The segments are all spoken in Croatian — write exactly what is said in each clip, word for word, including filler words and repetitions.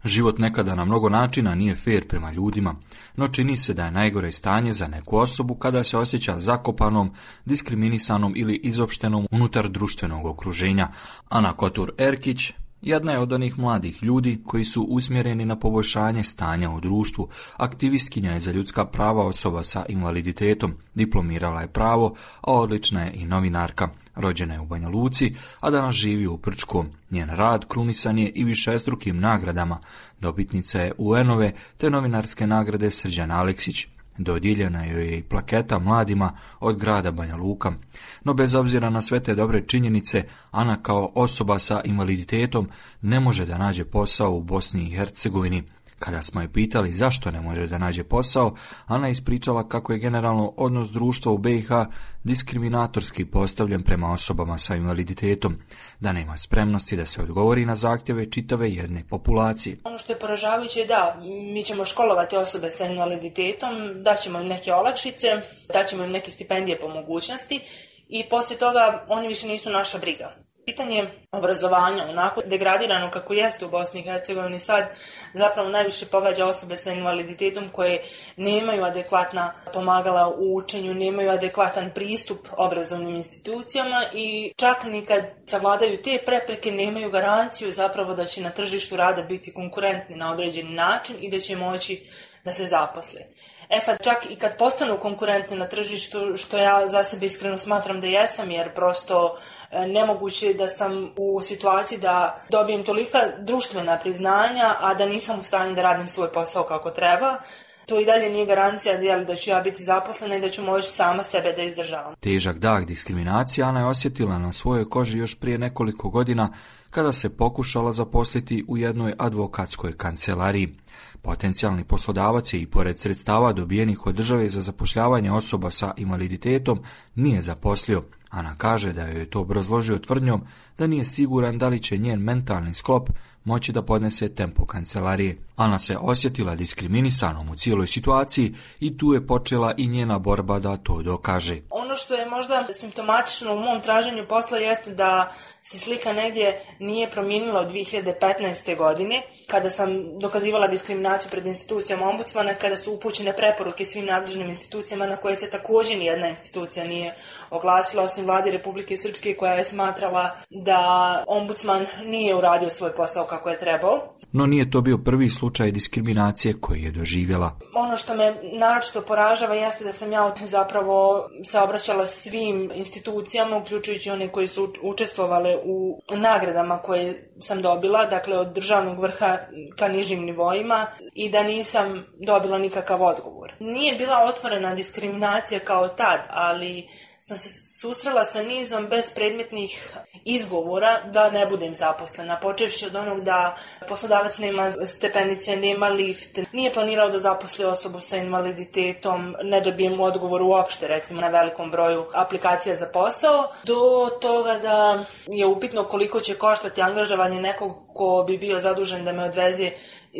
Život nekada na mnogo načina nije fer prema ljudima, no čini se da je najgore stanje za neku osobu kada se osjeća zakopanom, diskriminisanom ili izopštenom unutar društvenog okruženja. Ana Kotur-Erkić jedna je od onih mladih ljudi koji su usmjereni na poboljšanje stanja u društvu. Aktivistkinja je za ljudska prava osoba sa invaliditetom, diplomirala je pravo, a odlična je i novinarka. Rođena je u Banja Luci, a danas živi u Prčkom. Njen rad krunisan je i višestrukim nagradama. Dobitnica je U En-ove te novinarske nagrade Srđan Aleksić. Dodijeljena joj je i plaketa mladima od grada Banja Luka. No bez obzira na sve te dobre činjenice, Ana kao osoba sa invaliditetom ne može da nađe posao u Bosni i Hercegovini. Kada smo je pitali zašto ne može da nađe posao, Ana je ispričala kako je generalno odnos društva u B i H diskriminatorski postavljen prema osobama sa invaliditetom, da nema spremnosti da se odgovori na zahtjeve čitave jedne populacije. Ono što je poražavajuće je da mi ćemo školovati osobe sa invaliditetom, daćemo im neke olakšice, daćemo im neke stipendije po mogućnosti i poslije toga oni više nisu naša briga. Pitanje obrazovanja, onako degradirano kako jeste u Bosni i Hercegovini sad, zapravo najviše pogađa osobe sa invaliditetom koje nemaju adekvatna pomagala u učenju, nemaju adekvatan pristup obrazovnim institucijama i čak ni kad savladaju te prepreke nemaju garanciju zapravo da će na tržištu rada biti konkurentni na određeni način i da će moći da se zaposle. E sad, čak i kad postanu konkurentni na tržištu, što ja za sebe iskreno smatram da jesam, jer prosto nemoguće je da sam u situaciji da dobijem tolika društvena priznanja, a da nisam u stanju da radim svoj posao kako treba, to i dalje nije garancija da ću ja biti zaposlena i da ću moći sama sebe da izdržavam. Težak dah diskriminacije Ana je osjetila na svojoj koži još prije nekoliko godina kada se pokušala zaposliti u jednoj advokatskoj kancelariji. Potencijalni poslodavac je i pored sredstava dobijenih od države za zapošljavanje osoba sa invaliditetom nije zaposlio. Ana kaže da joj je to obrazložio tvrdnjom da nije siguran da li će njen mentalni sklop moći da podnese tempo kancelarije. Ana se osjetila diskriminisanom u cijeloj situaciji i tu je počela i njena borba da to dokaže. Ono što je možda simptomatično u mom traženju posla jeste da se slika negdje nije promijenila od dvije hiljade petnaeste. godine, kada sam dokazivala diskriminaciju pred institucijama ombudsmana, kada su upućene preporuke svim nadležnim institucijama na koje se također nijedna institucija nije oglasila, osim Vlade Republike Srpske koja je smatrala da ombudsman nije uradio svoj posao kako je trebao. No nije to bio prvi slučaj diskriminacije koji je doživjela. Ono što me naročito poražava jeste da sam ja zapravo se obraćala svim institucijama, uključujući one koji su učestvovale u nagradama koje sam dobila, dakle od državnog vrha ka nižim nivoima, i da nisam dobila nikakav odgovor. Nije bila otvorena diskriminacija kao tad, ali sam se susrela sa nizom bespredmetnih izgovora da ne budem zaposlena, počevši od onog da poslodavac nema stepenice, nema lift, nije planirao da zaposli osobu sa invaliditetom, ne dobijem odgovor uopšte, recimo na velikom broju aplikacija za posao, do toga da je upitno koliko će koštati angažovanje nekog ko bi bio zadužen da me odveze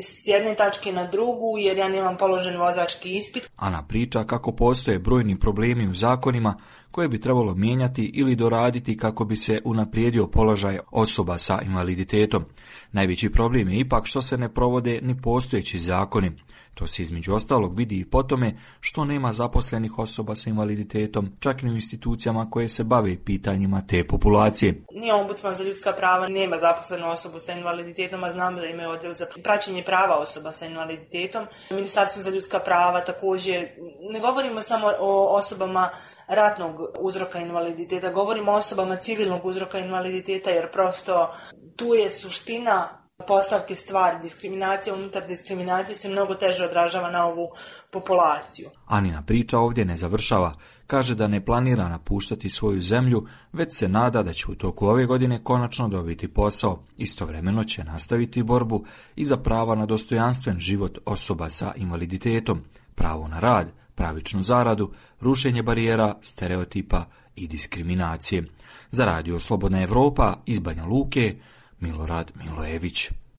s jedne tačke na drugu, jer ja nemam položen vozački ispit. Ana priča kako postoje brojni problemi u zakonima koje bi trebalo mijenjati ili doraditi kako bi se unaprijedio položaj osoba sa invaliditetom. Najveći problem je ipak što se ne provode ni postojeći zakoni. To se između ostalog vidi i po tome što nema zaposlenih osoba sa invaliditetom, čak ni u institucijama koje se bave pitanjima te populacije. Nije ombudsman za ljudska prava, nema zaposlenu osobu sa invaliditetom, a znam da imaju odjel za praćenje prava osoba sa invaliditetom. Ministarstvo za ljudska prava također, ne govorimo samo o osobama ratnog uzroka invaliditeta, govorimo o osobama civilnog uzroka invaliditeta, jer prosto tu je suština postavke stvari. Diskriminacija unutar diskriminacije se mnogo teže odražava na ovu populaciju. Anina priča ovdje ne završava. Kaže da ne planira napuštati svoju zemlju, već se nada da će u toku ove godine konačno dobiti posao. Istovremeno će nastaviti borbu i za prava na dostojanstven život osoba sa invaliditetom, pravo na rad, pravičnu zaradu, rušenje barijera, stereotipa i diskriminacije. Za Radio Slobodna Evropa iz Banja Luke, Milorad Milojević.